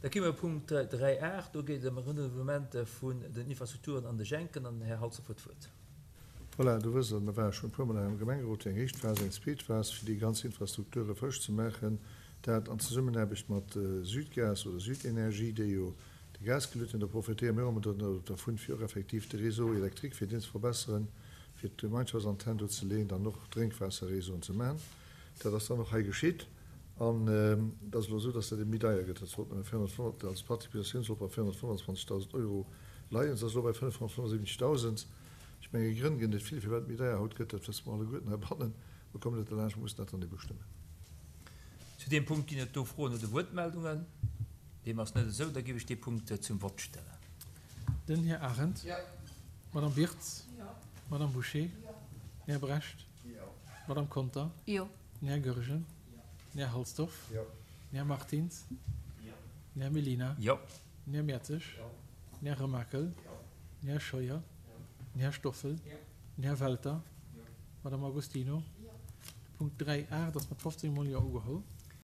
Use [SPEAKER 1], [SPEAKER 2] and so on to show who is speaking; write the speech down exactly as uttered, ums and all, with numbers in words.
[SPEAKER 1] Da gi mer Punkt dräi aacht, do geet et ëm e Renouvellement vun den Infrastrukturen an de Schenken an den Här Halsdorf huet d'Wuert.
[SPEAKER 2] Voilà, do wësst Der, mir ware schonn e puermol hei am Gemengerot fir eng éischt Phas, eng zweet Phas, fir déi ganz Infrastrukture frësch ze maachen, dat an Zesummenaarbecht mat Südgas oder Südenergie, déi jo de Gas geluet hunn. Da profitéiere mir och ëmmer dervun, fir och effektiv de Réseau électrique, fir deen ze verbesseren, fir d'Gemeinschaftsantenn do ze leeën, dann och Drénkwaasserréseauen ze maachen. Dat ass dann och hei geschitt. An et ass elo esou, dass dat ebe méi deier gëtt. Dat sollt nëmme véierhonnertfënnf, also d'Participatioun sollt bei véierhonnertfënnefanzwanzegdausend Euro leien. Se ass elo bei fënnefhonnertfënnefundsiwwenzegdausend. Ech menge Grënn gëtt et vill, firwat et méi deier haut gëtt. Dat wësse mer alleguerten heibannen. Mer kommen net derlaanscht, mer mussen dat dann ebe stëmmen.
[SPEAKER 1] Zu deem Punkt ginn et do Froen oder Wuertmeldungen? Deem ass net esou. Da géif ech dee Punkt zum Vott stellen.
[SPEAKER 3] Den Här Arendt.
[SPEAKER 4] Jo.
[SPEAKER 3] D'Madame Wirtz.
[SPEAKER 4] Jo.
[SPEAKER 3] D'Madame Bouché.
[SPEAKER 4] Jo.
[SPEAKER 3] Den Här Brecht.
[SPEAKER 4] Jo.
[SPEAKER 3] D'Madame Conter.
[SPEAKER 5] Jo.
[SPEAKER 3] Den Här Goergen. Den Här Halsdorf.
[SPEAKER 2] Jo.
[SPEAKER 3] Den Här Martins.
[SPEAKER 4] Jo.
[SPEAKER 3] Den Här Mellina.
[SPEAKER 1] Jo.
[SPEAKER 3] Den Här Mertzig.
[SPEAKER 4] Jo.
[SPEAKER 3] Den Här Remakel.
[SPEAKER 4] Jo.
[SPEAKER 3] Den Här Scheuer.
[SPEAKER 4] Jo.
[SPEAKER 3] Den Här Stoffel.
[SPEAKER 4] Jo.
[SPEAKER 3] Den Här Welter.
[SPEAKER 4] Jo.
[SPEAKER 3] D'Madame Agostino.
[SPEAKER 5] Jo.
[SPEAKER 3] De Punkt dräi aacht ass mat fofzéng Mol Jo ugeholl.